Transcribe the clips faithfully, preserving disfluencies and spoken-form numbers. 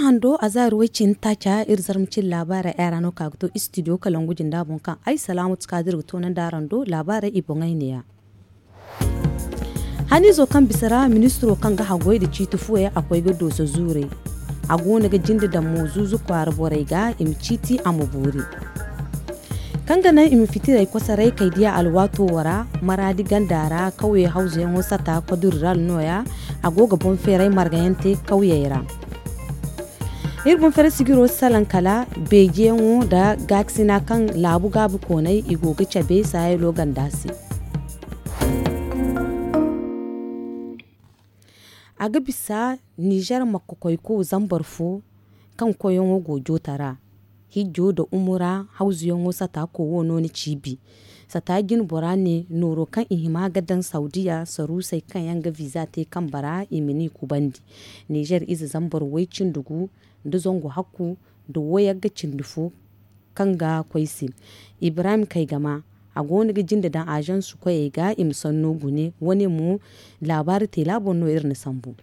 Hando a zaari way cindi taaca iri zarma cine laabaarey ay ra no ka ga to istidiyo kalangu jinda boŋ kaŋ ay salaamatu kaadir ga toonandi araŋ do. Laabaarey i boŋey neeya. Haniizo kaŋ bisa ra ministiro kaŋ ga haggoy nda ciiti fuwey a koy ga dooso zuurey. A goono ga jinde daŋ mo zuuzu kwaara borey ga i ma ciiti a ma boori. Kaŋ ga naŋ i ma fitirey kosoray kay diya alwaato wo ra maraadi ganda ra kawye hawzuyaŋo sata koduriral nooya. A go ga boŋ feeray margayaŋ te kawyey ra. Iri boŋ fere sijiro salaŋ kala beejeyaŋo nda gaakasina kaŋ laabu gaabu koonay i go ga cabe saayalo ganda se. A ga bisa nizer makka koyko zambar fo kaŋ koyyaŋo go joota ra hijjo nda umura hawzuyaŋo sata kowo no ni ciibi. Sata jine bora ne nooro kaŋ i hima ga daŋ saudiya saruusey kaŋ yaŋ ga viza te kambe ra i ma ni kubandi. Nizer ize zambar way cindi gu nda zangu hakku nda wayagga cindi fo kaŋ ga koy se. Ibrahim kaygama a go no ga jinde daŋ azansu koyey ga i ma sanno gune wane mo. Laabaari teela boŋ no iri na sambu.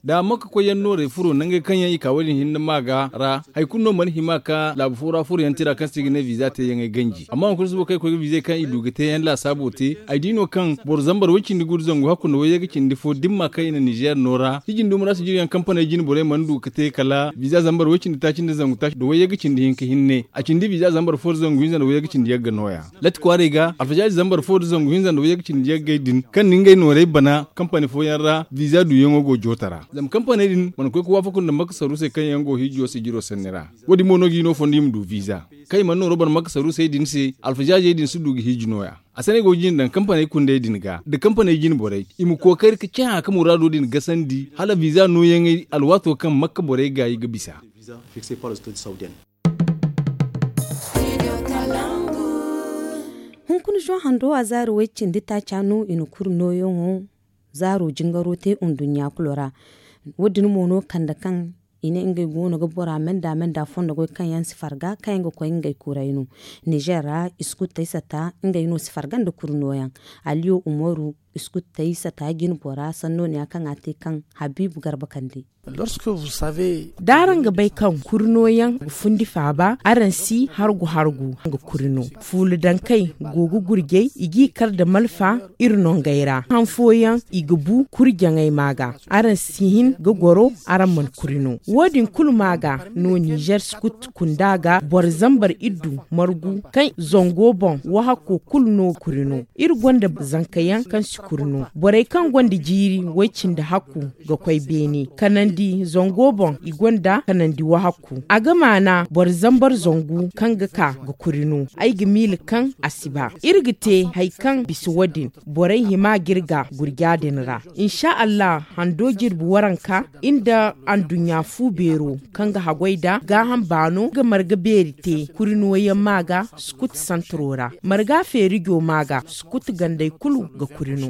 Da makka koyyaŋ noorey furo nangey kaŋ yaŋ i ka wo- din hinne maaga ra hari kulu no mana hima ka laabu fo ra furoyaŋ tira kaŋ se i ga ne viza teeyaŋey ganji amma hunkuna suba kaŋ i koy ga vizey kaŋ i du ga teeyaŋ laasaabo te. Ay di no kaŋ boro zambar way cindi gu nda zangu hakku nda wayye ga cindi fo dimma kaŋ i na nizer no ra hiji nda umura sijiriyaŋ kampaney jine borey mana du ga te kala viza zambar way cindi taaci nda zangu taaci nda wayye ga cindi hinka hinne a cindi viza zambar fo nda zangu hinza nda wayye ga cindi yagga nooya. Latti kwaaray ga alfajaari zambar fo nda zangu hinza nda wayye ga cindi yaggay din kaŋ na ngey noorey bana kampani fooyaŋ ra viza duuyaŋo go joota ra zama kampaney din mana koy ga waafaku nda makka saruusey kaŋ yaŋ go hiijo sijiro sanni ra. Wo- din mo no ga i no fondo i ma du viza kaŋ i mana nooro bana makka saruusey din se alfajaajey din si du ga hiiji nooya. A saney go ga jine daŋ kampaney kundey din ga nda kampaney jine borey i ma kookari ga cahã ka muraado din gasandi hala viza nooyaŋey alwaato kaŋ makka borey gaayi ga bisa. Hunkuna zoŋ hando a zaari way cindi taaca no i na kuri nooyaŋo zaaro jingaro te nduɲɲa kulu ra. Wo- din mo no kande kaŋ i ne ngey go no ga bora menda menda fondo goy kaŋ yaŋ si farga kaŋ yaŋ ga koy ngey kuray no. Nizer ra iskuttey sata ngey no si farga nda kuri nooyaŋ. Aliyo umaru iskuttey sata jine bora sanno ne ya kaŋ a te kaŋ habiibu garba kande. Da araŋ ga bay kaŋ kuri nooyaŋ ga fundi faaba araŋ si hargu hargu ga kuri no. Fuula dankey go ga gurjay i g'i kar nda malfa iri nongey ra han fooyaŋ i ga bu kuri jaŋay ma ga. Araŋ si hin ga goro araŋ mana kuri no wo- din kulu ma ga no nizer sukut kunda ga boro zambar iddu margu kaŋ zango boŋ wahakko kulu no kuri no. Iri gonda zankayaŋ kaŋ si kuri no borey kaŋ gonda jiiri way- cindi hakku ga koy beene kanandi zango boŋ i gonda kanandi wahakku a ga maana boro zambar zangu kaŋ ga ka ga kuri no. Ay ga miila kaŋ a si ba iri ga te hari kaŋ bisa wo- din borey hima ga iri ga gurja din ra. Insa allah hando jirbi waranka nda anduɲɲa fu beero kaŋ ga haggoy nda gaaham baano ga marga beeri te kuri nooyaŋ ma ga sukut santaro ra marga feerijo ma ga sukut gandey kulu ga kuri no.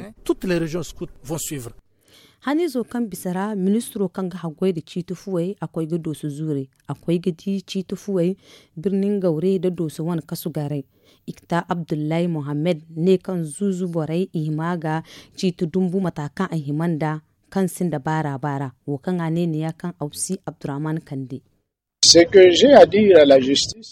Haniizo kaŋ bisa ra ministiro kaŋ ga haggoy nda ciiti fuwey a koy ga dooso zuurey a koy ga di ciiti fuwey birni ngawre nda dooso wane kasu garay. Ikta abdullahi mohammed ne kaŋ zuuzu borey i hima ga ciiti dumbu mata kaŋ a hima nda kaŋ sinda baara baara wo kaŋ a ne neeya kaŋ awsi abdurrahman kande.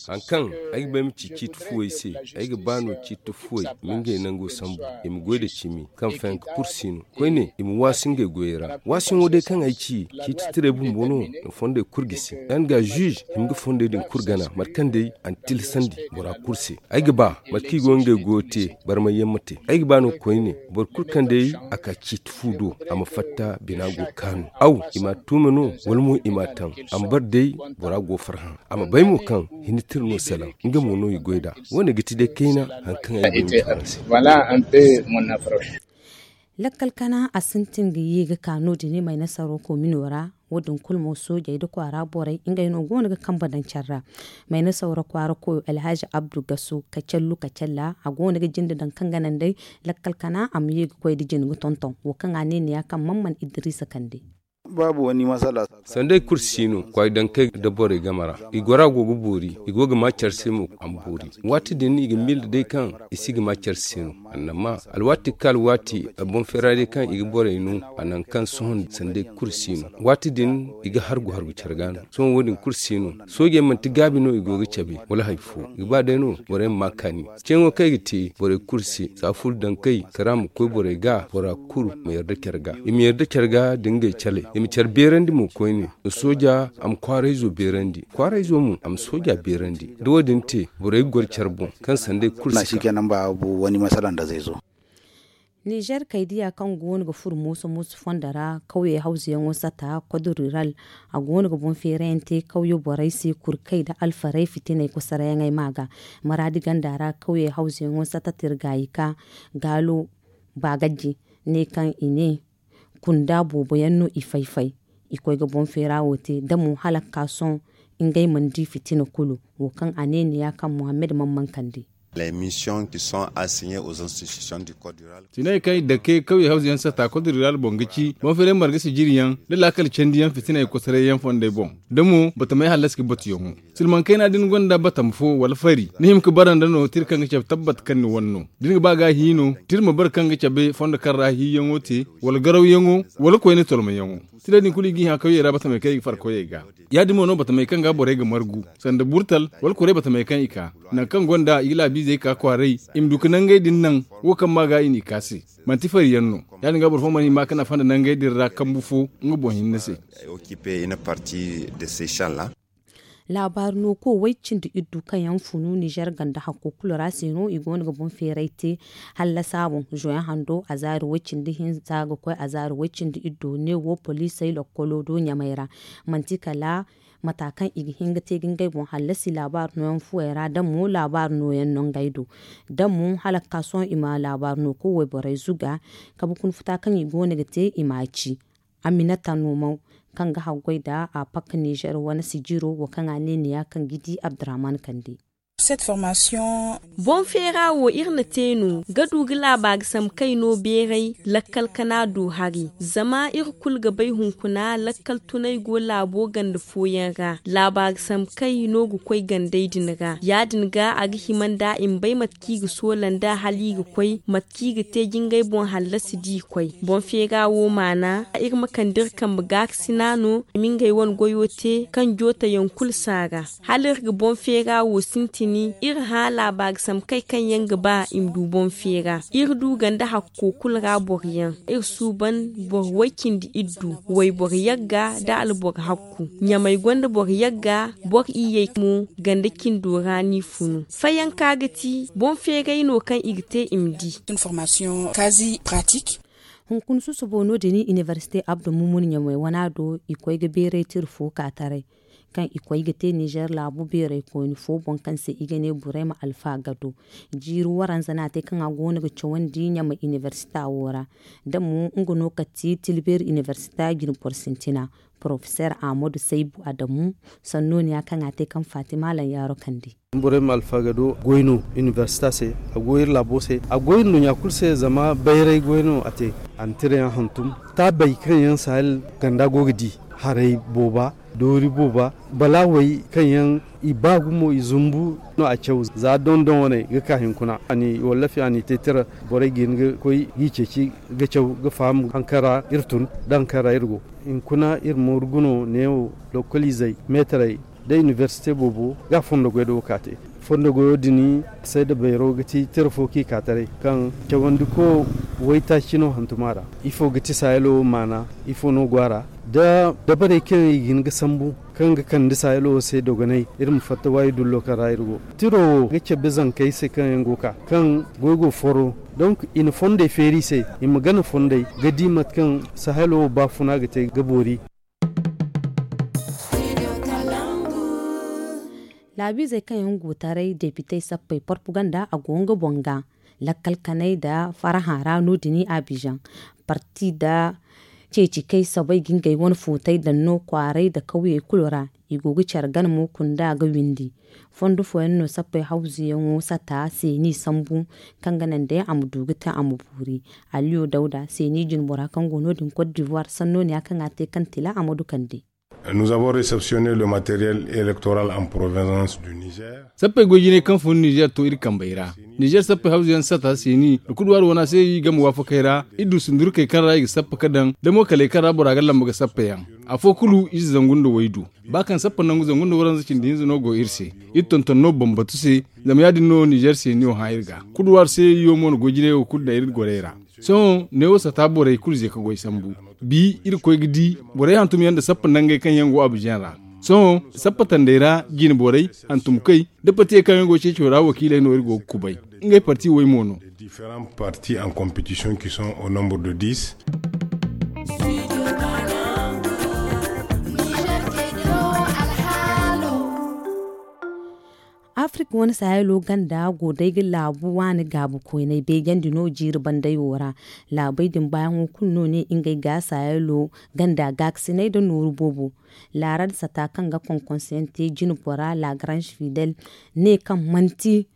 Hari kaŋ ay ga ba ay ma ci ciiti fuwey se, ay ga ba no ciiti fuwey ma ngey nango sambu i ma goy nda cimi kaŋ fayanka kulu si no. Koyne i ma waasi ngey goyey ra waasiyaŋo day kaŋ ay ci ciiti tirey bumbo no. Fondey kulu gisi yaŋ ga zuuze hima ga fondey din kulu gana mate kaŋ day a na tilasandi bora kulu se. Ay ga ba mate kaŋ i go ngey goyo te barmayyaŋ ma te ay ga ba no koyne boro kulu kaŋ day a ka ciiti fu do a ma fatta bina go kaanu aw i ma a tuuma no wala mo i ma a taŋ a ma bare day bora go farhã. A ma bay mo kaŋ hinne tira no salaŋ nga mo no i goy nd'a. Wo- ne ga ti day kayna hari kaŋ ay go ga te araŋ se. Lakkal kana a sintin ga ye ga ka no- din mayna saro komino ra. Wo- din kulu mo soojey nda kwaara borey ngey no go no ga kambe daŋ care ra. Mayna sawra kwaara koyo alhazi abdu gaso kacallu kacalla a go no ga jinde daŋ kaŋ ga naŋ day lakkal kana a ma ye ga koy nda jine ga tonton wo kaŋ a ne neeya kaŋ man man idiriisa kande. Sanda ay kulu si no kwaay dankey nda borey game ra i gora go ga boori i go ga ma care se mo a ma boori. Waati din i ga miila day kaŋ i si ga ma care se no. Annama alwaati ga ka alwaati, boŋ feera day kaŋ i ga borey no, a naŋ kaŋ sohõ sanday kulu si no. Waati din i ga hargu hargu care ga no. Sohõ wo- din kulu si no. Soojey manti gaabi no i go ga cabe wala hari fo. I ga ba day no borey ma ma kaani. Ceeyaŋo kaŋ i ga te borey kulu se, za ful daŋ kay kara ma koy borey ga, bora kulu ma yarda care ga. I ma yarda care ga da ngey caley. I ma care beerandi mo koyne. Sooja a ma kwaarayzo beerandi, kwaarayzo mo a ma sooja beerandi. Da wo- din te, borey ga goro care boŋ kaŋ sanday kulu si ka. Nizer kaydiya kaŋ goono ga furo mooso mooso fondo ra, kawye hawzuyaŋo sata, kodoriral, a goono ga boŋ feerayaŋ te kawye borey se, kurkey nda alfarey fitiney kosarayaŋey ma ga. Maraadi ganda ra kawye hawzuyaŋo sata tirgayika, gaalo, baagaji, ne kaŋ i ne kunda boobo yaŋ no i fay-fay. I koy ga boŋ feera wo te da mo hala ga ka sohõ, ngey mana di fitina kulu, wo kaŋ a ne neeya kaŋ mohammed mana mankandi. Tinay kaŋ i dake kawye hawzuyaŋ sata kodoriral boŋ ga ci boŋ feeray marga sijiriyaŋ, da laakal candiyaŋ fitinay kosoray yaŋ fondey boŋ, da mo batamay hallasi ga batuyaŋo. Silmaŋ kayna da ni gonda batam fo wala fari, ni hima ga bara nda no tira kaŋ ga cabe tabbat kaŋ ni wane no. Da ni ga ba ga a hi no, tira ma bara kaŋ ga cabe fondo kaŋ ra hiiyaŋo te, wala garawyaŋo, wala koyne tolmayaŋo. Tira din kulu i ga i hã kawyey ra batamey kaŋ i ga far koyey ga. Ya- din mo no batamey kaŋ ga borey ga margu, sanda burtal wala kuray batamey kaŋ i ka, nangu kaŋ gonda i ga laabiizey ka kwaaray, i ma du ga nangey din naŋ, wo kaŋ ma ga i n'i ka se. Manti fari yaŋ no. Ya- din ga boro fo mana hima ga nafa nda nangey din ra kambu fo nga boŋ hinne se. Laabaari no ko way cindi iddu kaŋ yaŋ funu nizer ganda hakko kulu ra se no i go no ga boŋ feeray te. Hallasa boŋ zoyaŋ hando a zaari way cindi hinza ga koy a zaari way cindi iddu ne wo poliisey lokkolo do ɲamay ra. Manti kala mata kaŋ i ga hin ga te ga ngey boŋ hallasi laabaari nooyaŋ fuwey ra da mo laabaari nooyaŋ no ngey do. Da mo hala ga ka sohõ i ma laabaari no ko wayborey zuga. Kabe kuna futa kaŋ i go no ga te i ma a ci. Aminata nomaw kaŋ ga haggoy nda a pakka nizer wane sijiro wo kaŋ a ne neeya kaŋ ga di abdurrahman kande. Boŋ feera wo iri na te no ga du ga laaba ga sambu kay no beeray lakkal kana do hari. Zama iri kulu ga bay hunkuna lakkal tunay go laabo ganda fooyaŋ ra laaba ga sambu kay no ga koy gandey din ra ya- din ga a ga hima nda i ma bay mate kaŋ i ga soola nda hala i ga koy mate kaŋ i ga te ga ngey boŋ hallasi da i koy. Boŋ feera wo maana iri ma kande iri kambe gaakasina no i ma ngey wane goyo te kaŋ jootayaŋ kulu si a ra. Hala iri ga boŋ feera wo sintini iri hã laaba ga sambu kay kaŋ yaŋ ga ba i ma du boŋ feera. Iri du ganda hakko kulu ra boro yaŋ iri suuban boro way cindi iddu wayboro yagga nda alboro hakku. Ɲamay gonda boro yagga boro iyyey mo ganda cindo ra n'i funu. Fayanka ga ti boŋ feeray no kaŋ i ga te i ma di. Hunkuna susubo no- din inibersite abdu mumun ɲamay wana do i koy ga beeray tira fo ka taray kaŋ i koy ga te nizer laabu beeray koyne fo boŋ kaŋ se i ga ne burayma alfa gado. Jiiri waranza no a te kaŋ a go no ga cawandi ɲamay inibersita wo ra. Da mo nga no kati tilbeeri inibersita jine boro sintina porofeser ahmadu saybu adamu sanno ne ya kaŋ a te kaŋ fatima lanyaaro kande. Borey ma alfagado goy no inibersita se. A goy iri laabo se a goy iri nduɲɲa kulu se zama bayray goy no a te. A na tirayaŋ hantum taabey kaŋ yaŋ sahel ganda go ga di haray booba doori booba balaawey kaŋ yaŋ i ba gumo i zumbu no a caw za dondon wane ga ka hinkuna a ni wallafi a n'i te tira. Borey ga hin ga koy g'i ceeci ga caw ga faham haŋ kaŋ ra iri tun da haŋ kaŋ ra iri go. Hinkuna iri mooru guno neewo lokoliizey meetarey da inibersite boobo ga fondo goy do ga ka te. Fondo goyo din sayda bayro ga ti tira fo kaŋ i ka taray kaŋ cawandiko waytaaci no hantuma ra. Ifo ga ti sahelo wo maana? Ifo no go a ra da dabarey kaŋ i ga hin ga sambu kaŋ ga kande sahelo wo se dogonay iri ma fatta waayi dullo kaŋ ra iri go. Tiro wo ga cabe zankey se kaŋ yaŋ go ga ka kaŋ goy go foro. Donk i na fondey feeri i se i ma gana fondey ga di mate kaŋ sahelo wo baafuna ga te ga boori. Laabiizey kaŋ yaŋ go taray depitey sappey porpuganda a go nga boŋ ga lakkal kanay nda farhã ra no- din abizaŋ parti nda ceeci kay soobay ga ngey wane footay daŋ no kwaaray nda kawyey kulu ra. I go ga care gana mo kunda ga windi. Fondo fooyaŋ no sappey hawzuyaŋo sata seeni sambu kaŋ ga naŋ day a ma du ga te a ma boori. Aliyo dawda seeni jinbora kaŋ go no- din kot divoir sanno ne ya kaŋ a te kaŋ tila a ma du kande. Nous avons réceptionné le matériel électoral en provenance du Niger. Sappey goy jinay kaŋ fun nizer to iri kambey ra. Nizer sappey hawzu yaŋ sata seeni da kuduwaari wana se i game waafakey ra. Iri du sundurkey kaŋ ra i ga sappa ka daŋ da mo kaley kaŋ ra bora ga lamba ga sappa yaŋ. Afo kulu ize zangu nda waydu ba kaŋ sappa nangu zangu nda waranza cindi hinza no go iri se. Iri tonton no bambatu se. Zama ya- din no nizer seeniyo hã iri ga kuduwaari se iyo mo na goy jinay wo kulu daŋ iri gorey ra. Sohõ neewo sata borey kulu ze ka goy sambu. Bi iri koy ga di borey hantum yaŋ nda sappa nangey kaŋ yaŋ go abizaŋ ra. Sohõ sappa tandey ra jine borey hantumkey da partiyey kaŋ yaŋ go ceeco ra wakiiley no iri go ga kubay. Ngey parti way mo no. Différents partis en compétition qui sont au nombre de dix. Afirka wane sahelo ganda go day ga laabu waani gaabu koynay beejandi no jiiri banday wo ra. Laabey din baayaŋo kulu no ne ngey ga sahelo ganda gaakasinay nda nooru boobo. Laarad sata kaŋ ga konkonseyaŋ te jine bora lagarange fidel ne kaŋ manti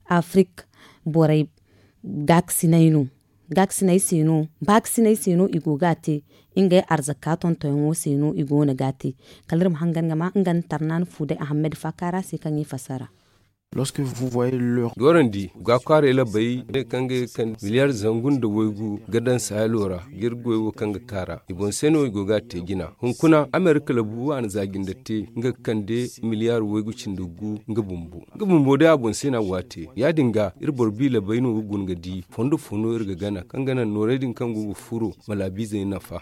afirka borey gaakasinay no. Gaakasinay se no baakasinay se no i go ga a te. Ngey arzaka tontonyaŋo se no i go no ga a te. Kala iri ma hangan ga ma nga nda tarnaani fuuday ahammed faakaara se kaŋ i fassara. Lorsque vous voyez leur. Doorandi ga kwaaray labay ne kaŋ ga kande miliyar zangu nda waygu ga daŋ sahelo ra ga iri goy wo kaŋ ga kaara i boŋ se no i go ga a te jina. Hunkuna amerika labu a na za jinde te nga ga kande miliyar waygu cindi gu nga bumbo. Nga bumbo day a boŋ se no a go a te ya- din ga iri boro bi labay no ga guna ga di fondo fo no iri ga gana kaŋ ga naŋ noorey din kaŋ go ga furo ma laabiizey nafa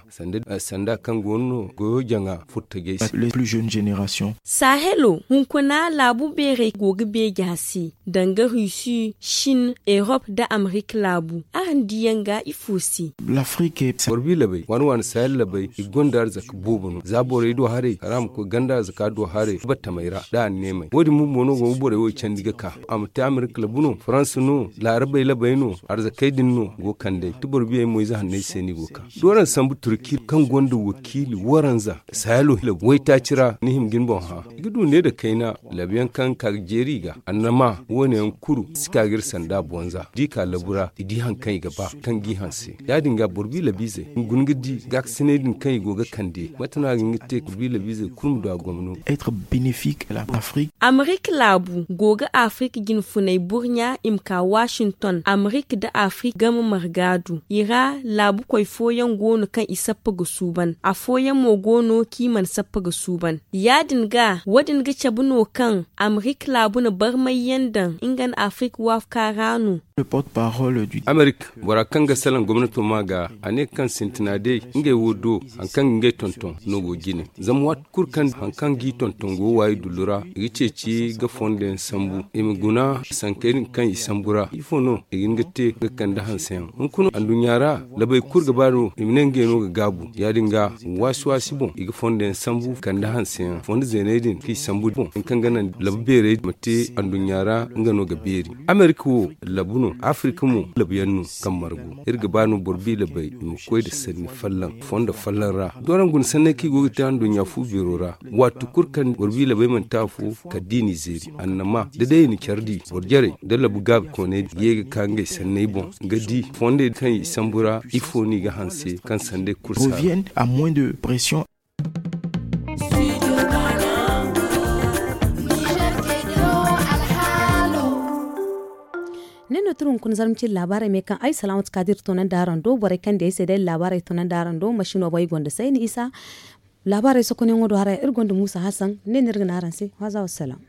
sanda kaŋ go no goyo jaŋa furtajey se. Sahelo hunkuna laabu beerey go ga beeja se danga rusi shin erop nda amerika laabu. Araŋ diyaŋ ga ifo se? Boro bi labey waani waani sahel labey i gonda arzaka boobo no za borey do haray kala a ma koy ganda arzaka do haray batamey ra nda anneemey wo- din bumbo no go ga borey wo candi ga ka. A ma te amerika labu no faransa no laarabey labey no arzakey din no go ga kand'ey ti boro biyey mo ize hanney se no i go ga ka. Dooran sambu turki kaŋ gonda wakiili waranza sahelo waytaaci ra ni hima ga ni boŋ hã i ga du ne nda kayna. Labuyaŋ kaŋ ga ka ga jeeri i ga annama wo- ne yaŋ kulu si ka ga iri sanda bonza da i ka labu ra i di hari kaŋ i ga ba kaŋ g'i hanse. Ya- din ga boro bi labiizey i ma guna ga di gaakasinay din kaŋ i go ga kande mate no a ga hin ga te boro bi labiizey kulu ma du a gomno. Amerika laabu go ga afirka jinfunay burɲa i ma ka washington amerika nda afirka game marga du i ra. Laabukoy fooyaŋ go no kaŋ i sappa ga suuban afooyaŋ mo go no kaŋ i mana sappa ga suuban. Ya- din ga wo- din ga cabe no kaŋ amerika laabu na barmay yaŋ daŋ nga nda afirka waafaka ra no. Amerika bora kaŋ ga salaŋ gomnato ma ga a ne kaŋ sintina day ngey wo do hari kaŋ ga ngey tonton no go jine. Zama waati kulu kaŋ hari kaŋ g'i tonton go waayi dullu ra i ga ceeci ga fondo yaŋ sambu i ma guna sankey din kaŋ i sambu ra ifo no i ga hin ga te ga kande hanseyaŋ. Hunkuna anduɲɲa ra labey kulu ga ba no i ma ne ngey no ga gaabu ya- din ga waasi waasi boŋ i ga fondo yaŋ sambu kande hanseyaŋ fondo zeeney din kaŋ i sambu boŋ hari kaŋ ga naŋ labu beerey ma te anduɲɲa ra nga no ga beeri. Amerika wo labu no afirka mo labuyaŋ no kaŋ margu iri ga ba no boro bi labey i ma koy nda sanni folloŋ fondo folloŋ ra. Dooraŋ guna sanney kaŋ i go ga te anduɲɲa fu beero ra waati kulu kaŋ boro bi labey mana te afo kala da i n'i zeeri annama da day i na care di boro jarey nda labu gaabi kooney ga ye ga ka ngey sanney boŋ ga di fondey kaŋ i sambu ra ifo no i ga hanse kaŋ sandey kulu si a ra. Ne no turu hunkuna zarma cine laabaarey me kaŋ ay salaamatu ka da iri toonandi araŋ do borey kaŋ di ay se day laabaarey toonandi araŋ do masino boŋ ay gonda sayni isa. Laabaarey sokonyaŋo do haray iri gonda muusa hasan ne no iri ga ne araŋ se waaza wassalaam.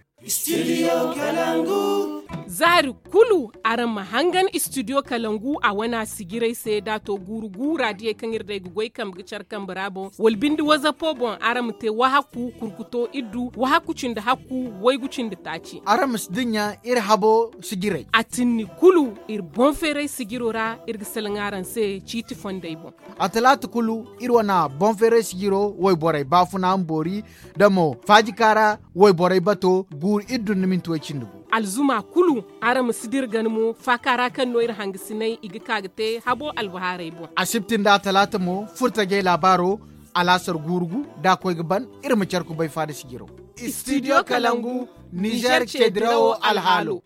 Zaari kulu araŋ ma hangan istidiyo kalangu a wana sijirey se da a to guuru gu raadiyey kaŋ iri day ga goy kambe ga care kambe ra boŋ wala binde wazapo boŋ araŋ ma te wahakku kurkuto iddu wahakku cindi hakku waygu cindi taaci. Araŋ ma si dinya iri habo sijirey. A tinni kulu iri boŋ feeray sijiro ra iri ga salaŋ araŋ se ciiti fondey boŋ. A talaata kulu iri wane boŋ feeray sijiro wayborey baafuna ma boori da mo faajika ra wayborey bato guuru iri dunduminti way cindi gu. Alzuma kulu araŋ ma si dira gana mo faaka ra kaŋ no iri hangasinay i ga ka ga te habo albahaarey boŋ. Asibti nda atalaata mo furtajey laabaaro alaasar guuru gu da a koy ga ban iri ma care kubay faada sijiro. Istidiyo kalangu nizer ceedirawo alhaalo.